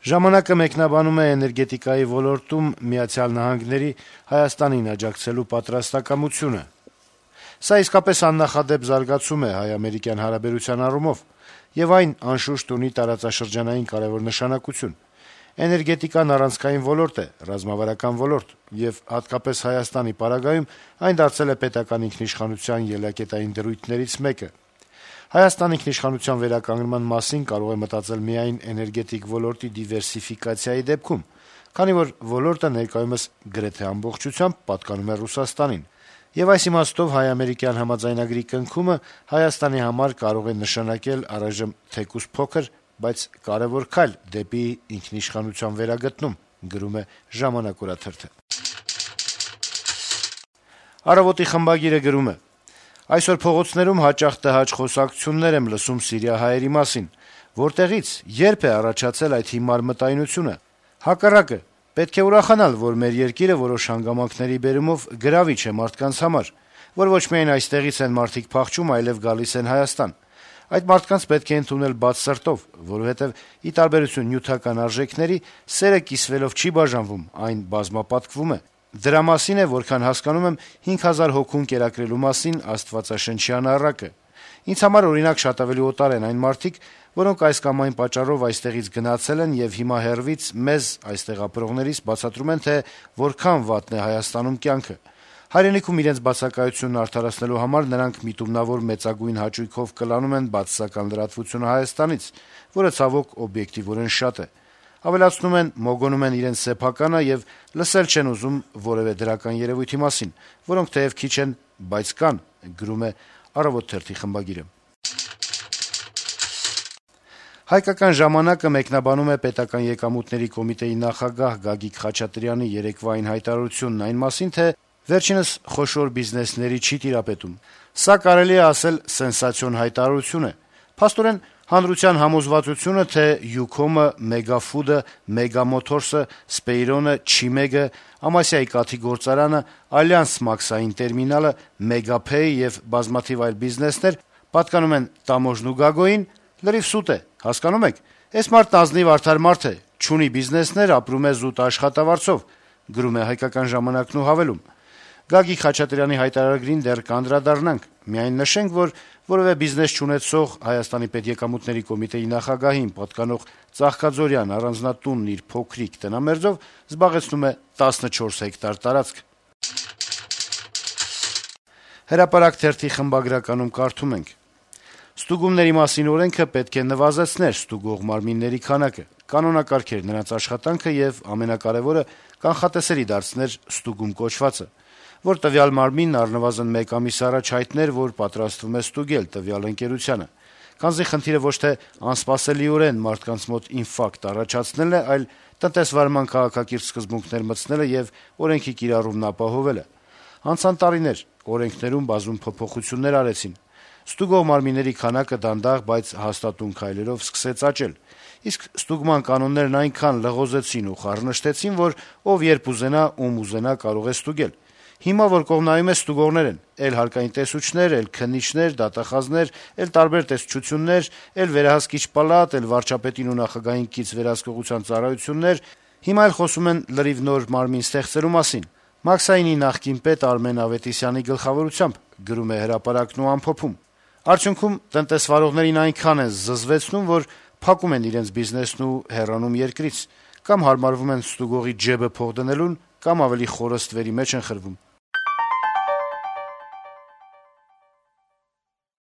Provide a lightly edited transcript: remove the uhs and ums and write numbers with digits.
Ժամանակը մեկնաբանում է էներգետիկայի ոլորտում ԱՄՆ-ի Հայաստանին աջակցելու պատրաստակամությունը. - «Սա իսկապես աննախադեպ զարգացում է հայ-ամերիկյան հարաբերության առումով, եւ այն, անշուշտ, ունի տարածաշրջանային կարեւոր նշանակություն: Էներգետիկան առանցքային ոլորտ է, ռազմավարական ոլորտ, եւ հատկապես Հայաստանի պարագայում այն դարձել է պետական ինքնիշխանության ելակետային դրույթներից մեկը: Հայաստան ինքնիշխանության վերականգնման մասին կարող է մտածել միայն էներգետիկ ոլորտի դիվերսիֆիկացիայի դեպքում, քանի որ ոլորտը ներկայումս գրեթե ամբողջությամբ պատկանում է Ռուսաստանին, եւ այս իմաստով հայ-ամերիկյան համաձայնագրի կնքումը Հայաստանի համար կարող է նշանակել առայժմ թեկուզ փոքր, բայց կարեւոր քայլ դեպի ինքնիշխանության վերագտնում»: «Առավոտ»-ի խմբագիրը գրում է. - «Այսօր փողոցներում հաճախ տհաճ խոսակցություններ եմ լսում սիրիահայերի մասին: Որտեղի՞ց, ե՞րբ է առաջացել այդ հիմար մտայնությունը: Հակառակը, պետք է ուրախանալ, որ մեր երկիրը որոշ հանգամանքների բերումով գրավիչ է մարդկանց համար, որ ոչ միայն այստեղից են մարդիկ փախչում, այլեւ գալիս են Հայաստան: Այդ մարդկանց պետք է ընդունել բաց սրտով, որովհետեւ, ի տարբերություն նյութական արժեքների, սերը կիսվելով չի բաժանվում, այն բազմապատկվում է: Դրա մասին է, որքան հասկանում եմ, 5000 հոգուն կերակրելու մասին աստվածաշնչյան առակը: Ինձ համար, օրինակ, շատ ավելի օտար են այն մարդիկ, որոնք այս կամ այն պատճառով այստեղից գնացել են եւ հիմա հեռվից մեզ, այստեղ ապրողներիս, բացատրում են, թե որքան վատն է Հայաստանում կյանքը: Հայրենիքում իրենց բացակայությունն արդարացնելու համար նրանք միտումնավոր մեծագույն հաճույքով կլանում են բացասական լրատվությունը Հայաստանից, որը, ցավոք, օբյեկտիվորեն շատ է: Ավելացնում են, մոգոնում են իրենց սեփականը եւ լսել չեն ուզում որեւէ դրական երեւույթի մասին, որոնք թեեւ քիչ են, բայց կան»: «Հայկական ժամանակ»-ը մեկնաբանում է Պետական եկամուտների կոմիտեի նախագահ Գագիկ Խաչատրյանի երեկվա այն հայտարարությունն այն մասին, թե վերջինս խոշոր բիզնեսների չի տիրապետում: Սա, կարելի է ասել, սենսացիոն հայտարարություն է: Փաստորեն, հանրության համոզվածությունը, թե Յուքոմը, Մեգաֆուդը, Մեգամոթորսը, Սպեյրոնը, Չիմեգը, Ամասիայի կաթի գործարանը, Ալյանս մաքսային տերմինալը, Մեգափեյ եւ բազմաթիվ այլ բիզնեսներ պատկանում են Տամոժն ու Գագոյին, լրիվ սուտ է: Հասկանո՞ւմ եք: Էս մարդն ազնիվ, արդար մարդ է, չունի բիզնեսներ, ապրում է զուտ աշխատավարձով»: Ու հավելում. - «Գագիկ Խաչատրյանի հայտարարագրին դեռ կանդրադառնանք: Միայն նշենք, որ որեւէ բիզնես չունեցող ՀՀ պետեկամուտների կոմիտեի նախագահին պատկանող Ծաղկաձորյան առանձնատունն իր փոքրիկ տնամերձով զբաղեցնում է 14 հեկտար տարածք»: «Հրապարակ» թերթի խմբագրականում կարդում ենք. - «Ստուգումների մասին օրենքը պետք է նվազեցներ ստուգող մարմինների քանակը, կանոնակարգեր նրանց աշխատանքը եւ, ամենակարեւորը, կանխատեսելի դարձներ ստուգում կոչվածը, որ տվյալ մարմինն առնվազն մեկ ամիս առաջ հայտներ, որ պատրաստվում է ստուգել տվյալ ընկերությանը: Քանզի խնդիրը ոչ թե անսպասելիորեն մարդկանց մոտ ինֆարկտ առաջացնելն է, այլ տնտեսվարման քաղաքակիրթ սկզբունքներ մտցնելը եւ օրենքի կիրառումն ապահովելը: Անցան տարիներ, օրենքներում բազում փոփոխություններ արեցին: Ստուգող մարմինների քանակը դանդաղ, բայց հաստատուն քայլերով սկսեց աճել: Իսկ ստուգման կանոններն այնքան լղոզեցին ու խառնշտեցին, որ ով երբ ուզենա, ում ուզենա կարող է ստուգել: Հիմա, որ կողմնայում է, ստուգողներ են: Էլ հարկային տեսուչներ, էլ քննիչներ, դատախազներ, էլ տարբեր տեսչություններ, էլ վերահսկիչ պալատ, էլ վարչապետին ու նախագահին կից վերահսկողության ծառայություններ: Հիմա էլ խոսում են լրիվ նոր մարմին ստեղծելու մասին: Մաքսայինի նախկին պետ Արմեն Ավետիսյանի գլխավորությամբ»: Արդյունքում տնտեսվարողներին այնքան են զզվեցնում, որ փակում են իրենց բիզնեսն ու հեռանում երկրից: Կամ հարմարվում են ստուգողի ջեբը փող դնելուն, կամ ավելի խորը ստվերի մեջ են խրվում: